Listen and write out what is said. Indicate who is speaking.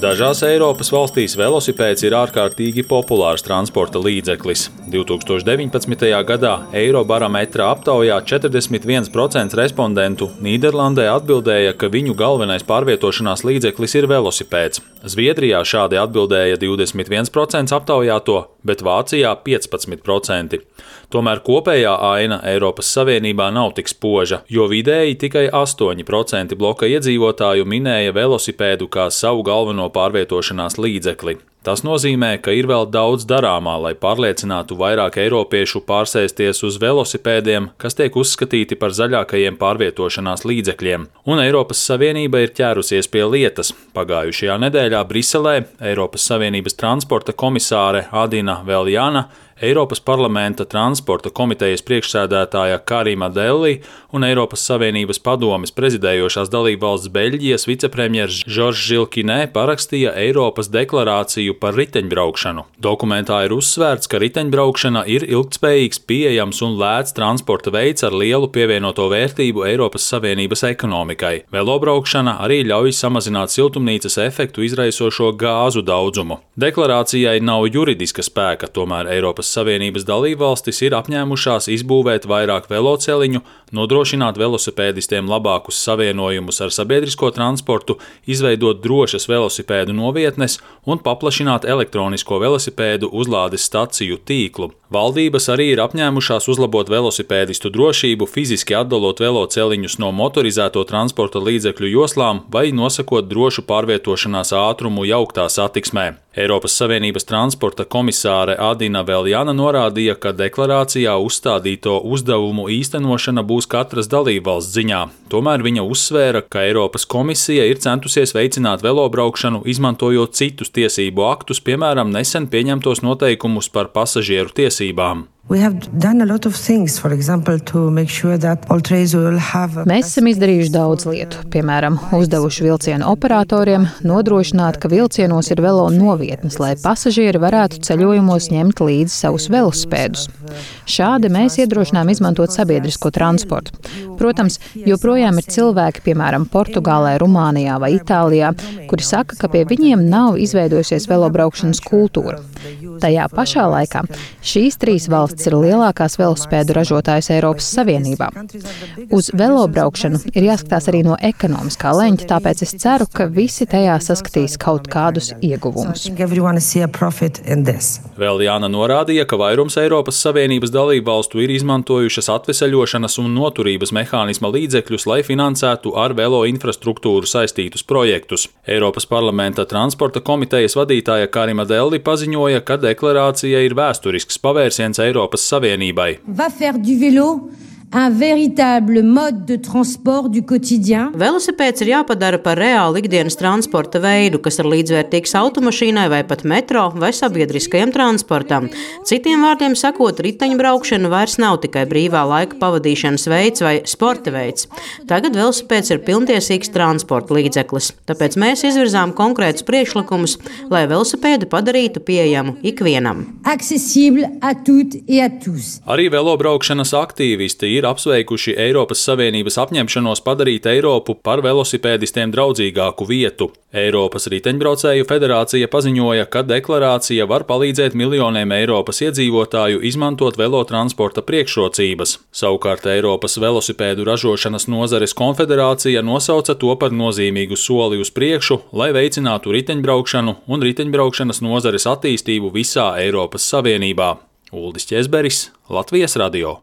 Speaker 1: Dažās Eiropas valstīs velosipēds ir ārkārtīgi populārs transporta līdzeklis. 2019. gadā Eirobarometra aptaujā 41% respondentu Nīderlandē atbildēja, ka viņu galvenais pārvietošanās līdzeklis ir velosipēds. Zviedrijā šādi atbildēja 21% aptaujāto, bet Vācijā 15%. Tomēr kopējā aina Eiropas Savienībā nav tik spoža, jo vidēji tikai 8% bloka iedzīvotāju minēja velosipēdu kā savu galveno pārvietošanās līdzekli. Tas nozīmē, ka ir vēl daudz darāmā, lai pārliecinātu vairāk eiropiešu pārsēsties uz velosipēdiem, kas tiek uzskatīti par zaļākajiem pārvietošanās līdzekļiem. Un Eiropas Savienība ir ķērusies pie lietas. Pagājušajā nedēļā Briselē Eiropas Savienības transporta komisāre Adina Veljana, Eiropas parlamenta transporta komitejas priekšsēdētāja Karima Delli un Eiropas Savienības padomes prezidējošās dalībvalsts Beļģijas vicepremjers Žoržs Žilkinē parakstīja Eiropas deklarāciju par riteņbraukšanu. Dokumentā ir uzsvērts, ka riteņbraukšana ir ilgtspējīgs, pieejams un lēts transporta veids ar lielu pievienoto vērtību Eiropas Savienības ekonomikai. Velobraukšana arī ļauj samazināt siltumnīcas efektu izraisošo gāzu daudzumu. Deklarācijai nav juridiska spēka, tomēr Eiropas Savienības dalībvalstis ir apņēmušās izbūvēt vairāk veloceliņu, nodrošināt velosipēdistiem labākus savienojumus ar sabiedrisko transportu, izveidot drošas velosipēdu novietnes un paplašināt elektronisko velosipēdu uzlādes staciju tīklu. Valdības arī ir apņēmušās uzlabot velosipēdistu drošību, fiziski atdalot veloceliņus no motorizēto transporta līdzekļu joslām vai nosakot drošu pārvietošanās ātrumu jauktā satiksmē. Eiropas Savienības transporta komisāre Adina Veljana norādīja, ka deklarācijā uzstādīto uzdevumu īstenošana būs katras dalībvalsts ziņā. Tomēr viņa uzsvēra, ka Eiropas komisija ir centusies veicināt velobraukšanu, izmantojot citus tiesību aktus, piemēram, nesen pieņemtos noteikumus par pasažieru tiesībām.
Speaker 2: Mēs esam izdarījuši daudz lietu, piemēram, uzdevuši vilcienu operatoriem nodrošināt, ka vilcienos ir velo novietnes, lai pasažieri varētu ceļojumos ņemt līdzi savus velosipēdus. Šādi mēs iedrošinām izmantot sabiedrisko transportu. Protams, joprojām ir cilvēki, piemēram, Portugālē, Rumānijā vai Itālijā, kuri saka, ka pie viņiem nav izveidojusies velobraukšanas kultūra. Tajā pašā laikā šīs trīs valstis ir lielākās velosipēdu ražotājas Eiropas Savienībā. Uz velobraukšanu ir jāskatās arī no ekonomiskā leņķa, tāpēc es ceru, ka visi tajā saskatīs kaut kādus ieguvumus.
Speaker 1: Veljana norādīja, ka vairums Eiropas Savienības dalībvalstu ir izmantojušas atveseļošanas un noturības mehānisma līdzekļus, lai finansētu ar velo infrastruktūru saistītus projektus. Eiropas parlamenta transporta komitejas vadītāja Karima Delli paziņoja, ka deklarācija ir vēsturisks pavērsiens Eiropas Savienībai.
Speaker 3: Velosipēds ir jāpadara par reālu ikdienas transporta veidu, kas ir līdzvērtīgs automašīnai vai pat metro vai sabiedriskajam transportam. Citiem vārdiem sakot, riteņbraukšana vairs nav tikai brīvā laika pavadīšanas veids vai sporta veids. Tagad velosipēds ir pilntiesīgs transporta līdzeklis, tāpēc mēs izvirzām konkrētus priekšlikumus, lai velosipēdu padarītu pieejamu ikvienam.
Speaker 1: Arī velobraukšanas aktīvisti ir apsveikuši Eiropas Savienības apņemšanos padarīt Eiropu par velosipēdistiem draudzīgāku vietu. Eiropas riteņbraucēju federācija paziņoja, ka deklarācija var palīdzēt miljoniem Eiropas iedzīvotāju izmantot velotransporta priekšrocības. Savukārt Eiropas velosipēdu ražošanas nozares konfederācija nosauca to par nozīmīgu soli uz priekšu, lai veicinātu riteņbraukšanu un riteņbraukšanas nozares attīstību visā Eiropas Savienībā. Uldis Ķezberis, Latvijas radio.